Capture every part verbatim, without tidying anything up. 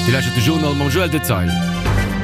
Dir lauschtert de Journal mam Joël Detail.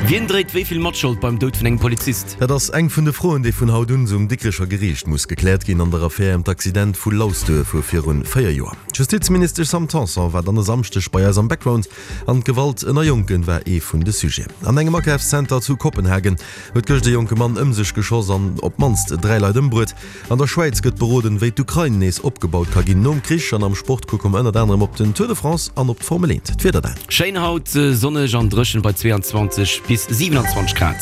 Wien dréit wéi vill Matschold beim Doud vun engem Polizist? Dat ass eng vun de Froen, déi vun haut un um Dikrecher Geriicht muss gekläert ginn an der Affär ëm d'Accident vu Lausduer vu viru véier Joer. D'Justizministesch Sam Tanson war dann e Samschdeg bei eis am Background an d'Gewalt ënner Jonken war ee vun de Sujeten. An engem Akafszenter zu Kopenhagen huet gëscht e jonke Mann ëm sech geschoss an op d'mannst dräi Leit ëmbruet. An der Schwäiz gëtt beroden, wéi d'Ukrain nees opgebaut ka ginn nom Krich an am Sport kucke mer ënnert anerem op den Tour de France an op d'Formel eent. D'Wieder dann. Schéin haut, sonneg an dréchen bei zwee an zwanzeg bis siwenanzwanzeg Grad.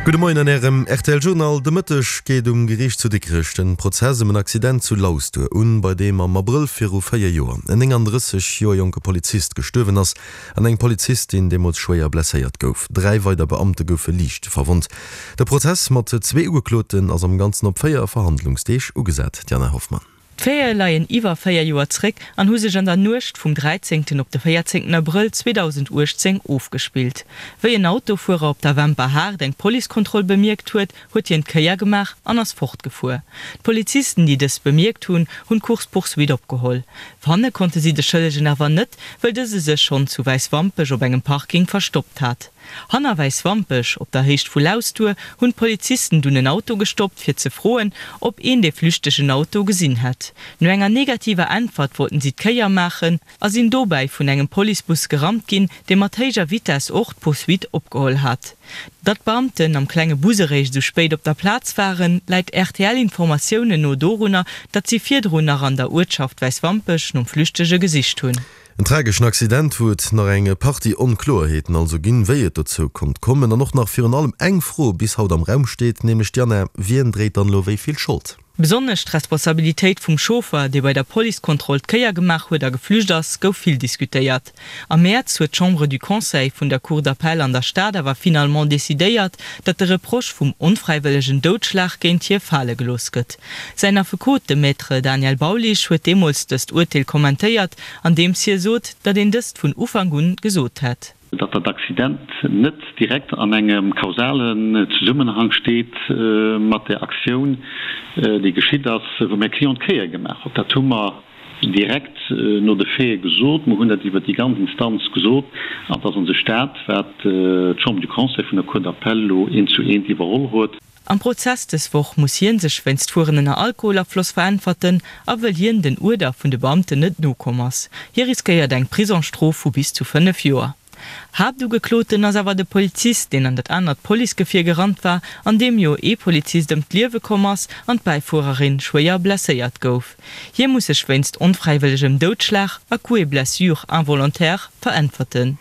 Gudde Moien an Ärem R T L Journal. De Mëtteg geet um Geriicht zu Dikrech den Prozess ëm en Accident zu Lausduer un, bei deem am Abrëll viru véier Joer en nénganddrësseg Joer jonke Polizist gestuerwen ass an eng Polizistin deemools schwéier blesséiert gouf. Dräi weider Beamte goufe liicht verwonnt. De Prozess mat zwee Ugekloten ass am Ganzen op véier Verhandlungsdeeg ugesat. D'Jana Hoffmann. D'Faite leien iwwer véier Joer zréck an hu sech an der Nuecht vum dräizéngten op de véierzéngten Abrëll zweedausendauechtzéng ofgespillt. Wéi en Autofuerer op der Wemper Haard eng Policekontroll bemierkt huet, huet hien d'Kéier gemaach an ass fortgefuer. D'Polizisten, déi dëst bemierkt hunn, hunn d'Course-poursuite opgeholl. Fanne konnte si de Schëllegen awer net, well dëse sech schonn zu Wäiswampech op engem Parking verstoppt hat. Hanner Wäiswampech, op der Héicht vu Lausduer, hunn d'Polizisten dunn en Auto gestoppt, fir ze froen, ob een de flüchtegen Auto gesinn hätt. No enger negativer Äntwert wollten si d'Kéier maachen a sinn dobäi vun engem Policebus gerammt ginn, dee mat héijer Vitess och d'Poursuite opgeholl hat. Datt d'Beamten am klenge Bus eréischt esou spéit op der Plaz waren, läit R T L-Informatiounen no dorunner, datt si virdrun nach an der Uertschaft Wäiswampech nom Flüchtege gesicht hunn. En trageschen Accident, wou et nach eng Partie Onkloerheeten also ginn, wéi et dozou konnt kommen an och nach virun allem eng Fro bis haut am Raum steet, nämlech, Diana, wien dréit dann elo wéi vill Schold? Besonnesch d'Responsabilitéit vum Chauffer, dee bei der Policekontroll d'Kéier gemaach huet a geflücht ass, gouf vill diskutéiert. Am Mäerz huet d'Chambre du Conseil vun der Cour d'appel an der Stad awer finalement decidéiert, datt de Reproche vum onfräiwëllegen Doudschlag géint hie fale gelooss gëtt. Säin Affekot, de Maître Daniel Baulisch, huet deemools dëst Urteel kommentéiert, andeems hie sot, datt een dëst vun Ufank un gesot hätt. Datt dat Accident net direkt an engem kausalen Zesummenhang steet mat där Aktioun, déi geschitt ass, wou mäi Client d'Kéier gemaach huet. Dat hu mer direkt no de Faite gesot. Mer hunn dat iwwert déi ganz Instanz gesot an et ass u sech dat, wat d'Chambre du Conseil vun der Cour d'appel elo eent zu eent iwwerholl huet. Am Prozess dës Woch muss hien sech wéinst Fueren ënner Alkoholafloss veräntwerten a well hien den Uerder vun de Beamten net nokomm ass. Hie riskéiert eng Prisongsstrof vu bis zu fënnef Joer. Haaptugekloten ass awer de Polizist, deen an dat anert Policegefier gerannt war, an deem jo ee Polizist ëm d'Liewe komm ass an d'Bäifuererin schwéier blesséiert gouf. Hie muss sech wéinst onfräiwëllegem Doudschlag a Coups et blessures involontaires veräntwerten.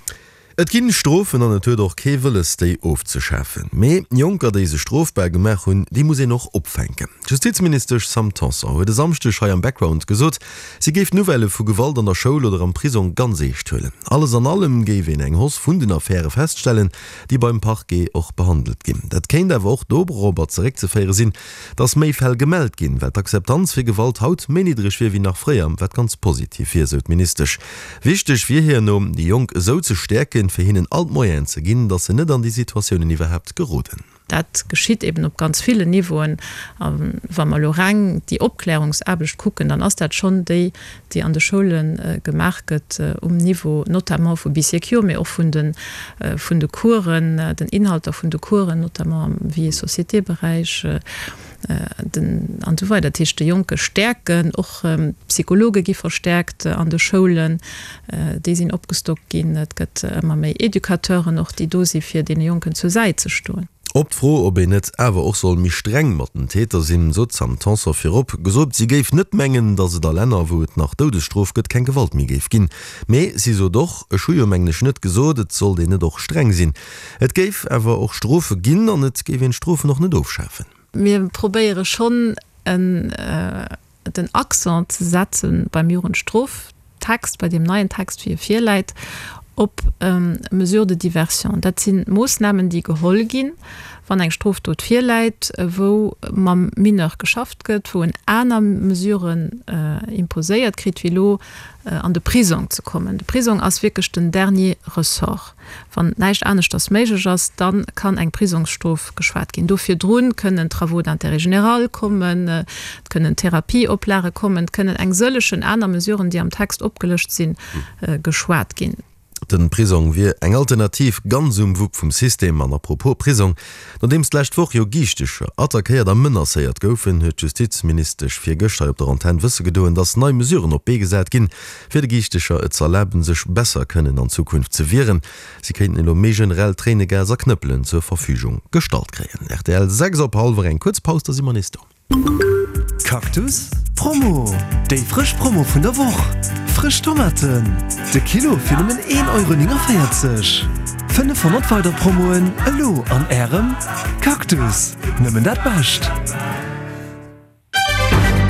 Et ginn Strofen an et huet och kee wëlles, déi ofzeschafen. Mee Jonker, déi sech strofbar gemaach hunn, déi muss een och opfänken. D'Justizministesch Sam Tanson huet e Samschdeg hei am Background gesot, si géif Nouvellë vu Gewalt an der Schoul oder am Prisong ganz eescht huelen. Alles an allem géif een eng Hausse vun den Affäre feststellen, déi beim Parquet och behandelt ginn. Dat kéint awer och dorobber zeréckzeféiere sinn, dass méi Fäll gemellt ginn, well d'Akzeptanz fir Gewalt haut méi niddreg wier wéi nach fréier, wat ganz positiv wier, sou d'Ministesch. Wichteg wier hir no, déi Jonk esou ze stäerken, fir hinnen all d'Moyenen ze ginn, dass se net an déi Situatiounen iwwerhaapt geroden. Dat geschitt eben op ganz villen Niveauen. A wa mer elo reng déi Opklärungsaarbecht kucken, dann ass dat schonn déi, déi an de Schoule gemaach gëtt um Niveau notamment vu Bee Secure, mee och vun de vun de Coursen, den Inhalter vun de Coursen, notamment am Vie et Société-Beräich, den an esou weider. Dat heescht, de Jonke stäerken, och d'Psychologe gi verstäerkt an de Schoulen, déi sinn opgestockt ginn. Et gëtt ëmmer méi Educateuren och, déi do si fir deene Jonken zur Säit ze stoen. Op d'Fro, ob een net awer och soll méi streng mat den Täter sinn, sot d'Sam Tanson virop gesot, si géif net mengen, datt et a Länner, wou et nach Doudesstrof gëtt, keng Gewalt méi géif ginn. Mee si sot och, Ech hu jo, mengen ech, net gesot, et sollt een net och streng sinn. Et géif awer och Strofe ginn an et géif een d'Strofen och net ofschafen. Mir probéiere schonn en den Accent ze setze beim Jugendstroftext, bei deem neien Text, wéi e virläit, op Mesures de diversion. Dat si Moossnamen, déi geholl ginn, wann eng Strofdot virläit, wou mam Mineur geschafft gëtt, wou en aner Mesuren imposéiert kritt, wéi elo an de Prisong ze kommen. De Prisong ass wierklech den dernier ressort. Wann näischt aneschters méiglech ass, da kann eng Prisongsstrof geschwat ginn. Do virdru kënnen Travaux d'intérêt général kommen, et kënnen Therapieoplage kommen, et kënnen eng sëllegen aner Mesuren, déi am Text opgelëscht sinn, geschwat ginn. Den Prisong wier eng Alternativ ganz um Wupp vum System. An apropos Prisong, Nodeems d'lescht Woch jo Giichtecher attackéiert a menacéiert goufen, huet d'Justizministesch virgëscht hei op der Antenn wësse gedoen, dass nei Mesuren op d'Bee gesat ginn, fir de Giichtecher et z'erlaben, sech besser kënnen an Zukunft ze wieren. Si kéinten elo méi generell Tréinegas a Knëppelen zur Verfügung gestallt kréien. Rtl, sechs op hallwer eng, kuerz Paus, da si mer nees do. Cactus Promo, Déi frësch Promo vun der Woch! Frësch Tomaten de Kilo fir nëmmen een Euro néngenvéierzeg. fënnefhonnert weider Promoen elo an Ärem Cactus! Nëmmen dat Bescht!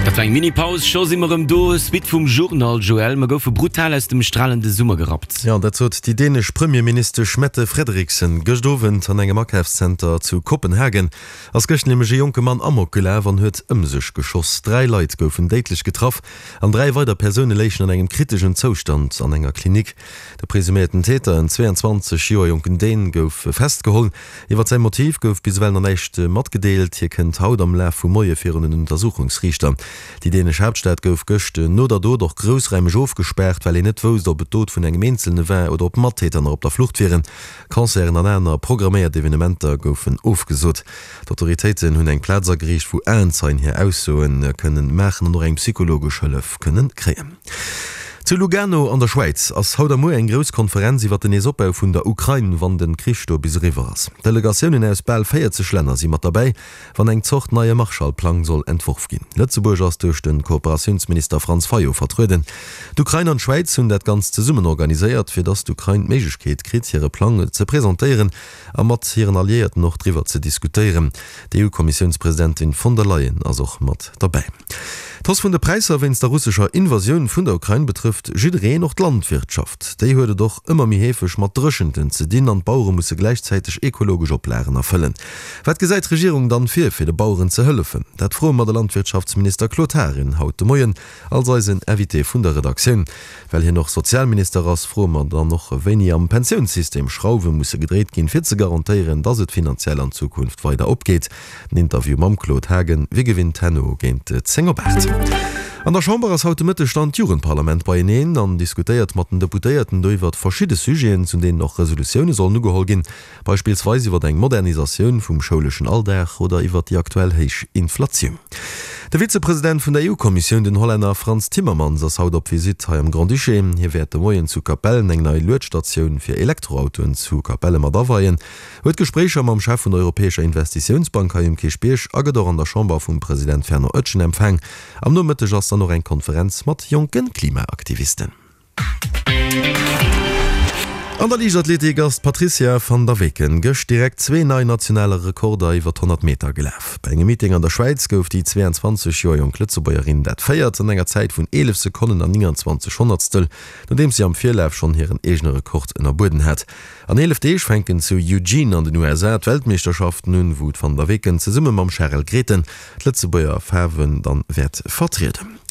Dat war eng Mini-Paus, scho si mer erëm do. Suite vum Journal, Joël, mer goufe brutal aus dem stralende Summer gerappt. Jo, dat sot déi dänesch Premierministesch Mette Frederiksen gëscht Owend an engem Akafszenter zu Kopenhagen. Ass gëscht nämlech e jonke Mann Amok gelaf an huet ëm sech geschoss. Dräi Leit goufen déidlech getraff an dräi weider Persoune léichen an engem kriteschen Zoustand an enger Klinik. De presuméierten Täter, en zweeanzwanzeg Joer jonken Dän, gouf festgeholl. Iwwer säi Motiv gouf bis ewell nach näischt matgedeelt. Hie kënnt haut am Laf vum Moie virun en Untersuchungsriichter. Déi dänesch Haaptstad gouf gëscht no der Dot och groussraimeg ofgespaart, well een net wousst, ob et d'Dot vun engem Eenzelne war oder ob Mattäter nach op der Flucht wieren. Concerten an aner programméiert Evenementer goufen ofgesot. D'Autoritéiten hunn eng Plaz ageriicht, wou Aenzeien hir Aussoe kënnen maachen an och eng psychologesch Hëllef kënnen kréien. Zu Lugano an der Schwäiz ass haut a muer eng grouss Konferenz iwwer den Neesopbau vun der Ukrain, wann den Krich do bis eriwwer ass. Delegatiounen aus bal véierzeg Länner si mat derbäi, wann eng Zort neie Marshallplang soll entworf ginn. Lëtzebuerg ass duerch de Kooperatiounsminister Franz Fayot vertrueden. D'Ukrain an d'Schwäiz hunn dat Ganzt zesummen organiséiert, fir datt d'Ukrain d'Méiglechkeet kritt, hire Plang ze presentéieren a mat hiren Alliéierten och driwwer ze diskutéieren. D'EU-Kommissiounspresidentin von der Leyen ass och mat derbäi. D'Hausse vun de Präisser wéinst der russescher Invasioun vun der Ukrain betrëfft jiddereen, och d'Landwirtschaft. Déi huet et och ëmmer méi heefeg mat Dréchenten ze dinn an d'Bauere musse gläichzäiteg ekologesch Oplagen erfëllen. Wat gesäit d'Regierung dann vir, fir de Baueren ze hëllefen? Dat froe mer de Landwirtschaftsminister Claude Haagen haut de Moien als eisen Invité vun der Redaktioun. Well hien och Sozialminister ass, froe mer dann och, wéini am Pensiounssystem Schrauwe musse gedréit ginn, fir ze garantéieren, dass et finanziell an Zukunft weider opgeet. Den Interview mam Claude Haagen wéi gewinnt herno géint zéng op aacht. An der Chamber ass haut de Mëtteg dann d'Jugendparlament beieneen an diskutéiert mat den Deputéierten do iwwert verschidde Sujeten, zu deenen och Resolutioune sollen ugeholl ginn, beispillsweis iwwert eng Modernisatioun vum schouleschen Alldag oder iwwert déi aktuell héich Inflatioun. De Vizepresident vun der EU-Kommissioun, den Hollänner Frans Timmermans, ass haut op Visitt hei am Grand-Duché. Hie wäert de Moien zu Capellen eng nei Luedstatioun fir Elektroautoen zu Capelle mat aweien, huet Gespréicher mam Chef vun der Europäescher Investitiounsbank hei um Kierchbierg a gëtt och an der Chamber vum President Fernand Etgen empfaang. Am Nomëtteg ass dann och eng Konferenz mat jonke Klimaaktivisten. An der Liichtathletik ass d'Patrizia van der Weken gëscht direkt zwee nei nationale Rekorder iwwer d'honnert Meter gelaf. Bei engem Meeting an der Schwäiz gouf déi zweeanzwanzeg Joer jonk Lëtzebuergerin dat Véiert an enger Zäit vun eelef Sekonnen an nénganzwanzeg Honnertstel, nodeems si am Virlaf schonn hiren eegene Rekord ënnerbueden hat. An eelef Deeg fänken zu Eugene an den U S A d'Weltmeeschterschaften un, wou d'Van der Weken zesumme mam Charel Grethen d'Lëtzebuerger Faarwen dann wäert vertrieden.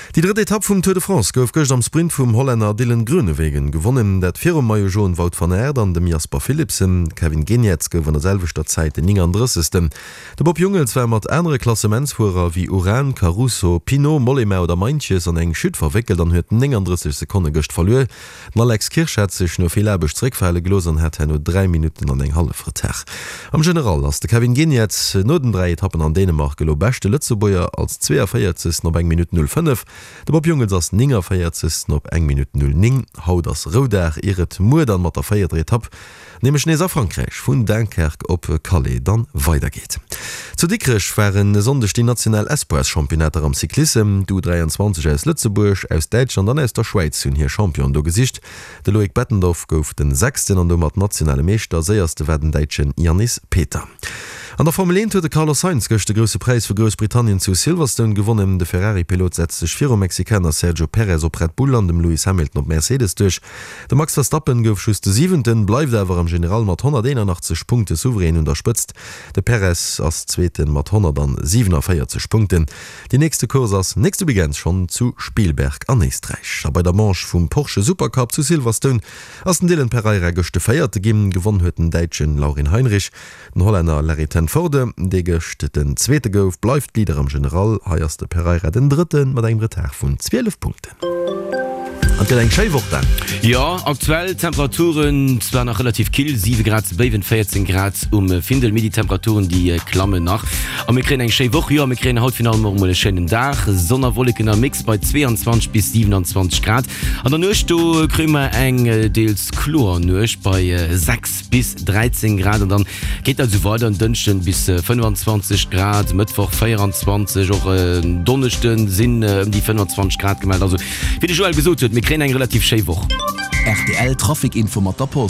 Déi drëtt Etapp vum Tour de France gouf gëscht am Sprint vum Hollänner Dylan Groenewegen gewonnen, dat virum Maillot Jaune Wout van Aert an dem Jasper Philipsen. Kevin Geniets gouf an der selwechter Zäit den néngandrëssegsten. De Bob Jungels war mat anere Klassementsfuerer wéi Uran, Caruso, Pinot, Mollema oder Meintjes an eng Chute verwéckelt an huet néngandrësseg Sekonne gëscht verluer. Den Alex Kirsch hat sech no vill Aarbecht zeréckfale gelooss an hat herno dräi Minutten an eng hallef Retard. Am General ass de Kevin Geniets no den dräi Etappen an Dänemark elo beschte Lëtzebuerger als zweeënvéierzegsten op eng Minutt null fënnef. De Bob Jungels ass néngënvéierzegsten op eng Minutt null néng. Haut ass Roudag, ier et muer dann mat der véierter Etapp, nämlech nees a Frankräich, vun Dunkerque op Calais dann weidergeet. Zu Dikrech waren e Sonndeg déi national Espoirs-Championnater am Cyclissem. D'U dräianzwanzeg aus Lëtzebuerg, aus Däitschland an aus der Schwäiz hunn hir Championen do gesicht. De Loïc Bettendorf gouf den Sechsten an domat nationale Meeschter. Séierste war den Däitschen Yannis Peter. An der Formel eent huet de Carlos Sainz gëscht de Grousse Präis vu Groussbritannien zu Silverstone gewonnen. De Ferrari-Pilot setzt sech virum Mexikaner Sergio Perez op Red Bull an dem Lewis Hamilton op Mercedes duerch. De Max Verstappen gouf just de Siwenten, bleift awer am General mat honnerteenanachtzeg Punkte souverän un der Spëtzt. De Perez ass Zweete mat honnertsiewenenvéierzeg Punkten. Déi nächste Course ass nächste Weekend schonn zu Spielberg an Éisträich. A bei der Manche vum Porsche Supercup zu Silverstone ass den Dylan Pereira gëscht de Véierte ginn. Gewonn huet den Däitschen Laurin Heinrich. Den Hollänner Larry ten Voorde, dee gëscht den Zweete gouf, bleift Leader am General. Hei ass de Pereira den Drëtte mat engem Retard vun zwielef Punkten. An et gëtt eng schéi Woch, Dan. Jo, aktuell Temperaturen zwar nach relativ kill, siwe Grad zu Béiwen, véierzéng Grad um Findel, mee déi Temperaturen déi klammen nach. A mir kréien eng schéi Woch, jo, mir kréien haut virun allem och emol e schéinen Dag, Sonn a Wolleken am Mix bei zweeanzwanzeg bis siwenanzwanzeg Grad. An der Nuecht do kréie mer eng deels kloer Nuecht bei sechs bis dräizéng Grad an dann geet dat esou weider, en Dënschden bis fënnefanzwanzeg Grad, Mëttwoch véieranzwanzeg, och en Donneschden sinn ëm déi fënnfanzwanzeg Grad gemellt. Also wéi de Joël gesot huet, mir kréien eng relativ schéi Woch. Rtl Trafic Info mat der Post.